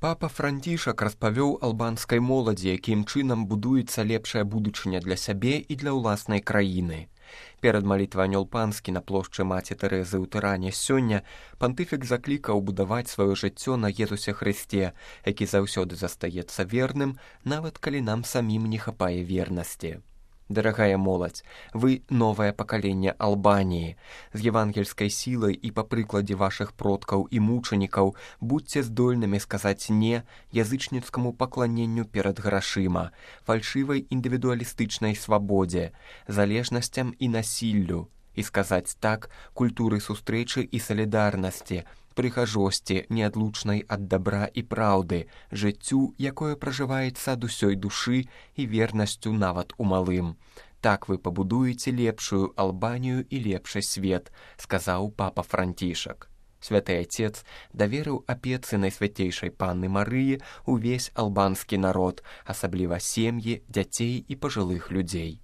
Папа Францішак распавёў албанскай моладзі, якім чынам будуецца лепшая будучыня для сябе і для ўласнай краіны. Перад малітвай анёл панскі на плошчы маці Тэрэзы ў Тыране сёння пантыфік заклікаў будаваць сваё жыццё на Езусе Хрысце, які заўсёды застаецца верным, нават калі нам самім не хапае вернасці. Дарагая моладзь, вы новае пакаленне Албаніі. З евангельскай сілай і па прыкладзе вашых продкаў і мучанікаў будзьце здольнымі сказаць «не» язычніцкаму пакланенню перад грашыма, фальшывай індывідуалістычнай свабодзе, залежнасцям і насіллю, і сказаць «так» культуры сустрэчы і салідарнасці, прыгажосці, неадлучнай ад дабра і праўды, жыццю, якое пражываецца ад усёй душы і вернасцю нават у малым. Так вы пабудуеце лепшую Албанію і лепшы свет, сказаў папа Францішак. Святы Отец даверыў апецы Найсвяцейшай Панны Марыі ўвесь албанскі народ, асабліва сем'і, дзяцей і пажылых людзей.